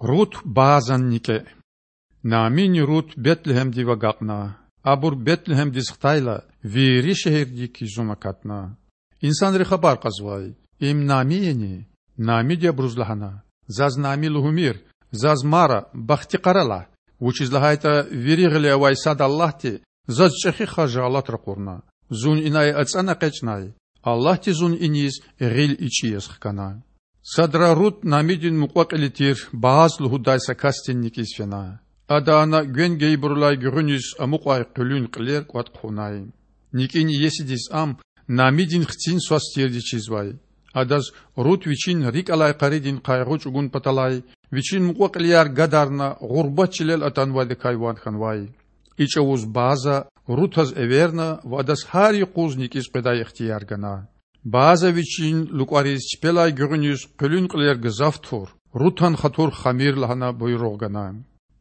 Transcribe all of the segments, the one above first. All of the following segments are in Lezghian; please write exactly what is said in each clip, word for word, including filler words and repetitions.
Рут Баазан никІе. Наъмини Рут Бетлегьемдив агакьна. Абур Бетлегьемдиз хтайла, вири шегьердик юзун акатна. Инсанри хабар кьазвай: Им Наъми яни? Наъмиди абуруз лагьана: Заз Наъми лугьумир. Заз Мара, бахтикъара лагь, вучиз лагьайтІа вири гъиле авай сад Аллагьди заз чІехи харжи алат ракъурна. Зун инай ацІана экъечІнай. Аллагьди зун иниз гъил ичІи яз хкана. Садра Рут Наъмидин мукьва-кьили тир Бааз лугьудай са касдин никІиз фена. Ада ана гвен гайибурулай гуьгъуьниз амукьай къуьлуьн кьилер кІватІ хъувунай. НикІин иесидиз ам Наъмидин хцин свас тирди чизвай. Адаз Рут вичин рикІ алай къаридин къайгъу чІугун паталай, вичин мукьва-кьилияр гадарна, гъурбат чилел атанвайдакай ван хьанвай. И чІавуз Бааза Рутаз эверна ва адаз гьар юкъуз никІиз къведай ихтияр гана. Бааза вичин лукІариз чпелай гуьгъуьниз къуьлуьн кьилер гзаф тур, Рутан хатур хамир лагьана буйругъ гана.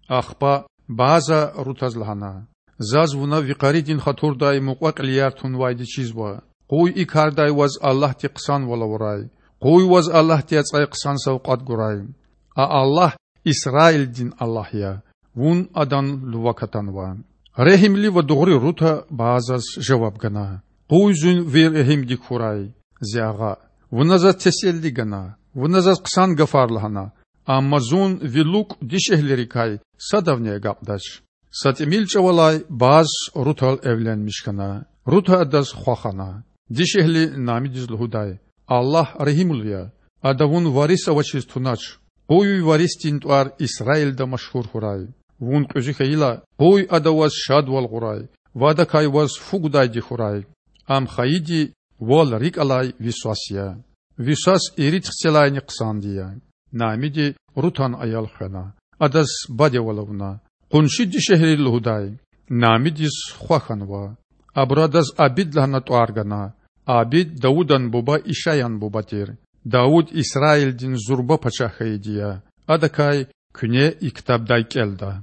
Ахпа Бааза Рутаз лагьана: Заз вуна ви къаридин хатурдай мукьва-кьилияр тунвайди чизва. Къуй и кардай ваз Аллагьди хъсанвал авурай. Къуй ваз Аллагьди ацІай хъсан савкьват гурай. А Аллагь Исраилдин Аллагь я. Вун Адан лувак атанва. Регьимли ва дугъри Рута Баазаз жаваб гана: Къуй зун ви регьимдик хьурай, зи агъа. Вуна заз теселли гана, вуна заз хъсан гафар лагьана, амма зун ви лукІ дишегьлийрикай садавни агакьдач. Са тІимил чІавалай Бааз Рутал эвленмиш хьана. Рута адаз хва хана. Дишегьли Наъмидиз лугьудай: Аллагь регьимлу я. Ада вун варис авачиз тунач. Къуй ви варисдин тІвар Исраилда машгьур хьурай. Вун кьуьзуь хьайила, къуй ада ваз шадвал гъурай ва адакай ваз фу гудайди хьурай. Ам хайиди вал рикІ алай ви свас я. Ви свас ирид хцелайни хъсанди я. Наъмиди Рутан аял хвена, адаз бадевал авуна. Къунши дишегьли лугьудай: Наъмидиз хва хьанва. Абуру адаз Абид лагьана тІвар гана. Абид Давудан буба Ишаян буба тир. Давуд Исраилдин зурба пачагь хьайиди я. Адакай куьне и ктабдай кІелда.